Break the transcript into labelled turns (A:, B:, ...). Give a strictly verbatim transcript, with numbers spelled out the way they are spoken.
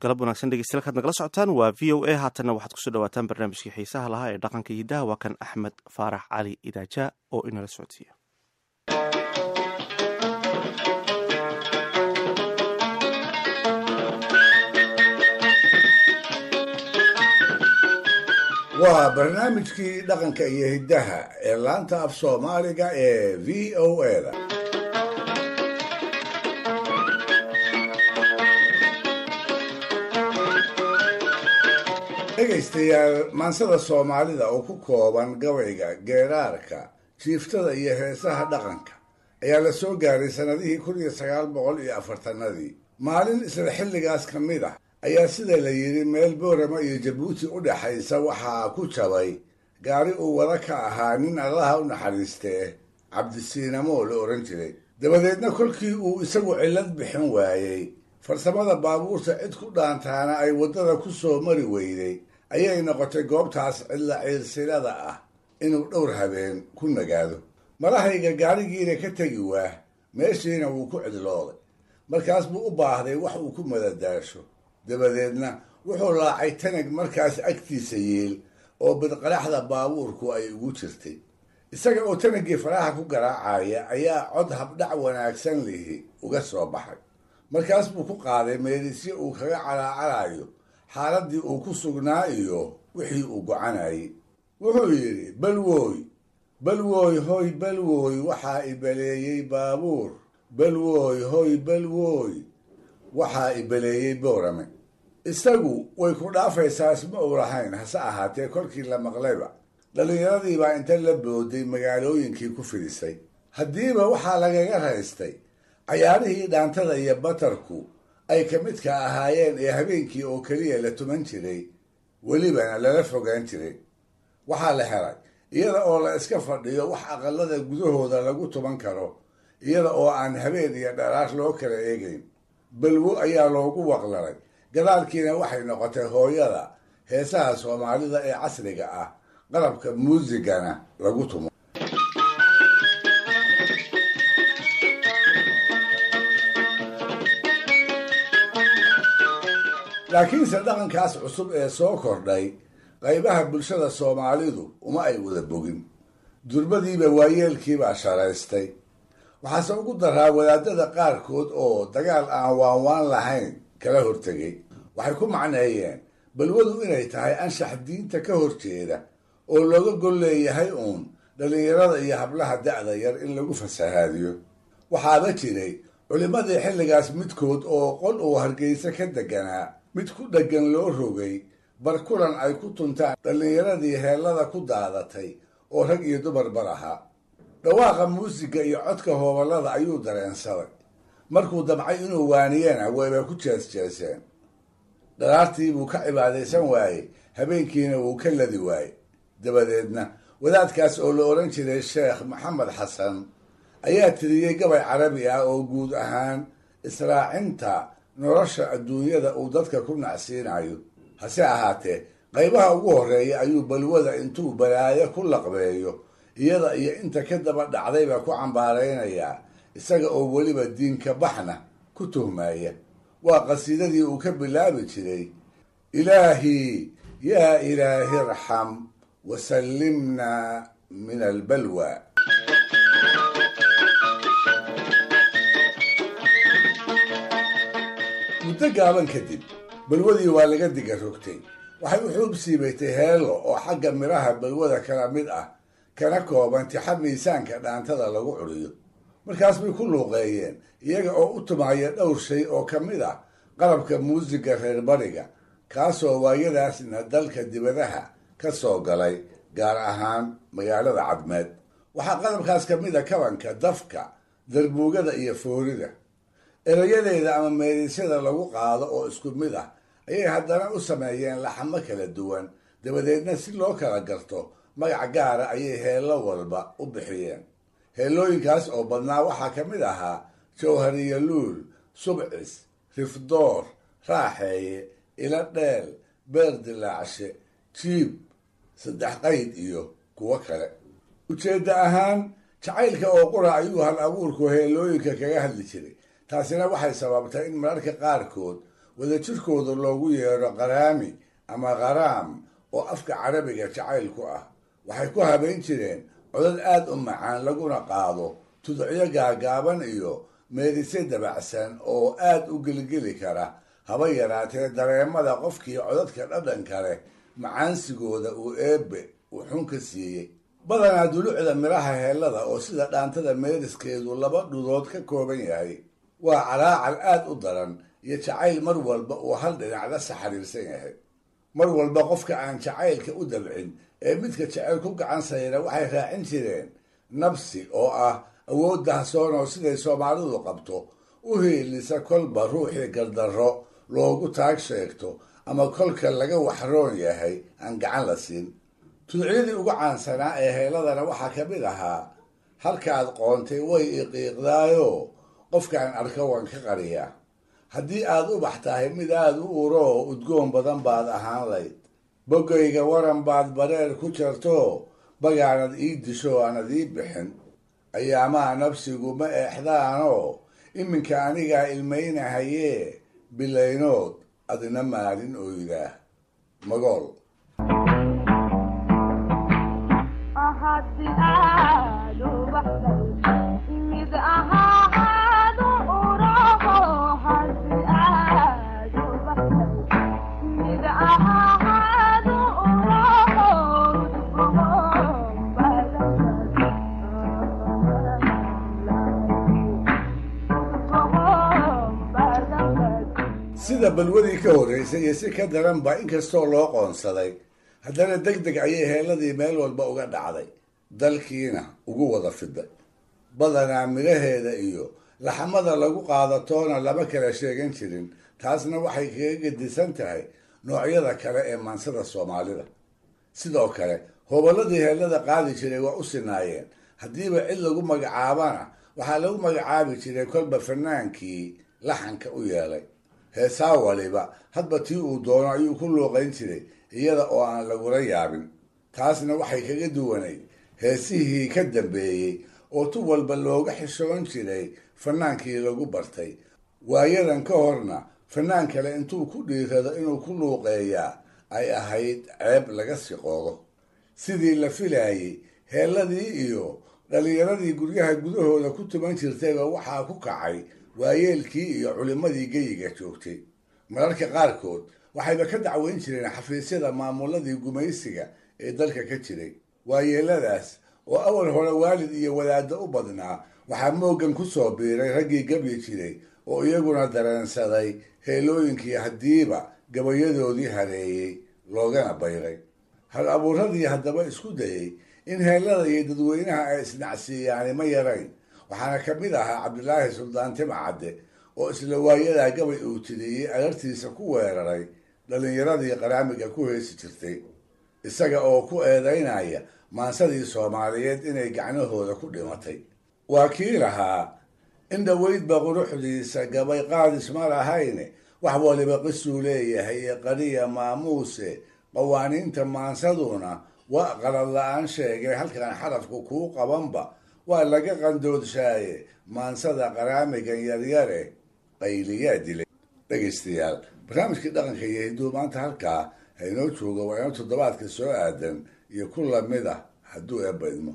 A: Galab wanaagsan dhegeystayaal, kaad nagala socotaan waa V O A. Haatanna waxaad kusoo dhawaataan barnaamijkii xiisaha lahaa ee dhaqanka hidaha. Waa kan Axmed Faarax Cali Idaaja oo inala socodsiiya.
B: Waa barnaamijkii dhaqanka iyo hiddaha ee laanta af Soomaaliga ee V O A da. Dhegaystayaal, maansada Soomaalida oo ku kooban gabayga, geeraarka, jiiftada iyo heesaha dhaqanka ayaa la soo gaaray sannadihii kun iyo sagaal boqol iyo afartanadii. Maalin isla xilligaas ka mid ah ayaa, sida la yidhi, meel Boorama iyo Jabuuti u dhexaysa waxaa ku jabay gaari uu wada ka ahaa nin Allaha u naxariistee Cabdisiinamo la odhan jiray. Dabadeedna kolkii uu isagu cillad bixin waayey, farsamada baabuurta cid ku dhaantaana ay waddada ku soo mari weyday, ayay noqotay goobtaas cidla ciilsilada ah inuu dhowr habeen ku nagaado. Malahayga gaarigiina ka tegi waa, meeshiina wuu ku cidlooday. Markaas buu u baahday wax uu ku madadaasho. Dabadeedna wuxuu laacay tanag markaas agtiisa yiil oo bidqaraxda baabuurku ay ugu jirtay. Isaga oo tanaggii faraha ku garaacaya ayaa cod habdhac wanaagsan lihi uga soo baxay. Markaas buu ku qaaday meelisyo uu kaga calaacalayo xaaladdii uu ku sugnaa iyo wixii uu gocanayay. Wuxuu yidhi: "Balwooy, balwooy, hoy balwooy, waxaa ibaleeyey baabuur. Balwooy, hoy balwooy, waxaa ibaleeyey Boorame." Isagu way ku dhaafaysaas ma uu lahayn. Hase ahaatee, kolkii la maqlayba dhallinyaradii baa inta la booday magaalooyinkii ku fidisay. Haddiiba waxaa lagaga raystay cayaarihii dhaantada iyo batarku ay ka midka ahaayeen ee habeenkii oo keliya la tuman jiray, welibana lala fogaan jiray. Waxaa la helay iyada oo la iska fadhiyo wax aqalada gudahooda lagu tuman karo, iyada oo aan habeen iyo dharaar loo kala eegayn. Balwo ayaa loogu waqlalay. Gadaalkiina waxay noqotay hooyada heesaha Soomaalida ee casriga ah, qalabka muusigana lagu tumo. Laakiinse dhaqankaas cusub ee soo kordhay qaybaha bulshada Soomaalidu uma ay wada bogin. Durbadiiba waayeelkiibaa sharaystay. Waxaase ugu daraa wadaadada qaarkood oo dagaal aan waanwaan lahayn kala hortegay. Waxay ku macneeyeen balwadu inay tahay anshax diinta ka horjeeda oo looga gol leeyahay uun dhallinyarada iyo hablaha da'da yar in lagu fasahaadiyo. Waxaaba jiray culimmadii xilligaas midkood oo qol uu Hargeysa ka deganaa mid ku dheggan loo rogay barkulan ay ku tuntaan dhallinyaradii heellada ku daadatay oo rag iyo dumarbar ahaa. Dhawaaqa muusiga iyo codka hooballada ayuu dareensaday. Markuu damcay inuu waaniyena, wayba ku jees-jeeseen. Dharaartii buu ka cibaadaysan waayey, habeenkiina wuu ka ladi waayey. Dabadeedna wadaadkaas oo la odhan jiray Sheekh Maxamed Xasan ayaa tiriyey gabay Carabi ah oo guud ahaan israacinta nolosha adduunyada uu dadka ku nacsiinayo. Hase ahaatee, qaybaha ugu horreeya ayuu balwada intuu balaayo ku laqbeeyo iyada iyo inta ka daba dhacdayba ku cambaaraynayaa, isaga oo weliba diinka baxna ku tuhmaya. Waa qasiidadii uu ka bilaabi jiray: "Ilaahii yaa ilaahi irxam wasallimna min albalwa." Muddo gaaban kadib balwadii waa laga diga rogtay. Waxay u xuub siibatay heello oo xagga midhaha balwada kala mid ah, kana kooban tixa miisaanka dhaantada lagu curiyo. Markaas bay ku luuqeeyeen iyaga oo u tumaya dhowr shay oo ka mid ah qalabka muusiga reer bariga, kaasoo waayadaasna dalka dibadaha ka soo galay, gaar ahaan magaalada Cadmeed. Waxaa qalabkaas ka mid a kabanka, dafka, darbuugada iyo foorida. Erayadeeda ama meelisyada lagu qaado oo isku mid ah ayay haddana u sameeyeen laxamo kala duwan. Dabadeedna si loo kala garto magac gaara ayay heello walba u bixiyeen. Heellooyinkaas oo badnaa waxaa ka mid ahaa Jawhariyo Luul, Subcis, Rifdoor, Raaxeeye, Ila Dheel, Beer Dilaacshe, Jiib, Saddex Qayd iyo kuwo kale. Ujeedda ahaan jacaylka oo qura ayuu hal abuurku heellooyinka kaga hadli jiray. Taasina waxay sababtay in mararka qaarkood wadajirkooda loogu yeedho qaraami ama qaraam oo afka carabiga jacayl ku ah. Waxay ku habayn jireen codad aad u macaan laguna qaado tuducyo gaagaaban iyo meerisye dabacsan oo aad u gelgeli kara, haba yaraatee dareemada qofkii codadka dhadhan kale macaansigooda uu eebbe uu xun ka siiyey. Badanaa dulucda midhaha heellada oo sida dhaantada meeriskeedu laba dhudood ka kooban yahay waa calaacal aad u daran iyo jacayl mar walba uu hal dhinac la saxariirsan yahay. Mar walba qofka aan jacaylka u dabcin ee midka jecel ku gacan sayra waxay raacin jireen nabsi oo ah awood dahsoon oo siday Soomaalidu qabto u hiilisa kolba ruuxii gardarro loogu taag sheegto ama kolka laga waxroon yahay aan gacan la siin. Tuducyadii ugu caansanaa ee heelladana waxaa ka mid ahaa halkaad qoontay way iqiiqdaayo qofkaan arko waan ka qariyaa, haddii aad ubax tahay mid aad u uroo udgoon badan baad ahaan layd, boggayga waran baad bareer ku jarto bagaanad ii disho aanad ii bixin, ayaamaha nafsigu ma eexdaanoo iminka anigaa ilmaynahayee bilaynood adina maalin oydaa. Magool. Sida balwadii ka horreysay iyo si ka daranba inkastoo loo qoonsaday, haddana deg deg ayay heelladii meel walba uga dhacday, dalkiina ugu wada fiday. Badanaa midhaheeda iyo laxamada lagu qaadatoona lama kala sheegan jirin, taasna waxay kaga gedisan tahay noocyada kale ee maansada Soomaalida. Sidoo kale hobolladii heellada qaadi jiray waa u sinaayeen, haddiiba cid lagu magacaabana waxaa lagu magacaabi jiray kolba fanaankii laxanka u yeelay. Heesaa waliba hadba tii uu doono ayuu ku luuqayn jiray iyada oo aan lagula yaabin. Taasna waxay kaga duwanayd heesihii ka dambeeyey oo tu walba looga xishoon jiray fanaankii lagu bartay. Waayadan ka horna fanaan kale intuu ku dhiirado inuu ku luuqeeyaa ay ahayd ceeb laga siqoodo. Sidii la filaayey heelladii iyo dhallinyaradii guryaha gudahooda ku tuman jirtayba waxaa ku kacay waayeelkii iyo culimmadii geyiga joogtay. Mararka qaarkood waxayba ka dacweyn jireen xafiisyada maamuladii gumaysiga ee dalka ka jiray. Waayeeladaas oo awal hore waalid iyo wadaaddo u badnaa waxaa mooggan ku soo biiray raggii gabyi jiray oo iyaguna dareensaday heelooyinkii haddiiba gabayadoodii hareeyey loogana bayray. Hal abuuradii haddaba isku dayey in heellada iyo dadweynaha ay isnacsiiyaani ma yarayn, waxaana ka mid ahaa Cabdilaahi Suldaan Timcadde oo isla waayadaa gabay uu tiriyey alartiisa ku weeraray dhallinyaradii qaraamiga ku heesi jirtay, isaga oo ku eedaynaya maansadii Soomaaliyeed inay gacnahooda ku dhimatay. Waa kii lahaa in dhoweydba quruxdiisa gabay qaadis ma lahayne, wax waliba qisuu leeyahay ee qariya maamuuse, qawaaniinta maansaduna waa qalad la-aan sheegay halkan xarafku kuu qabanba waa laga qandoodsaaye maansada qaraamigan yaryare qayliyaa dilay. Dhegaystayaal, barnaamijkii dhaqanka iyo hidduu maanta halkaa ha inoo joogo, waa inoo toddobaadka soo aadan iyo ku lamid ah hadduu eebba idmo.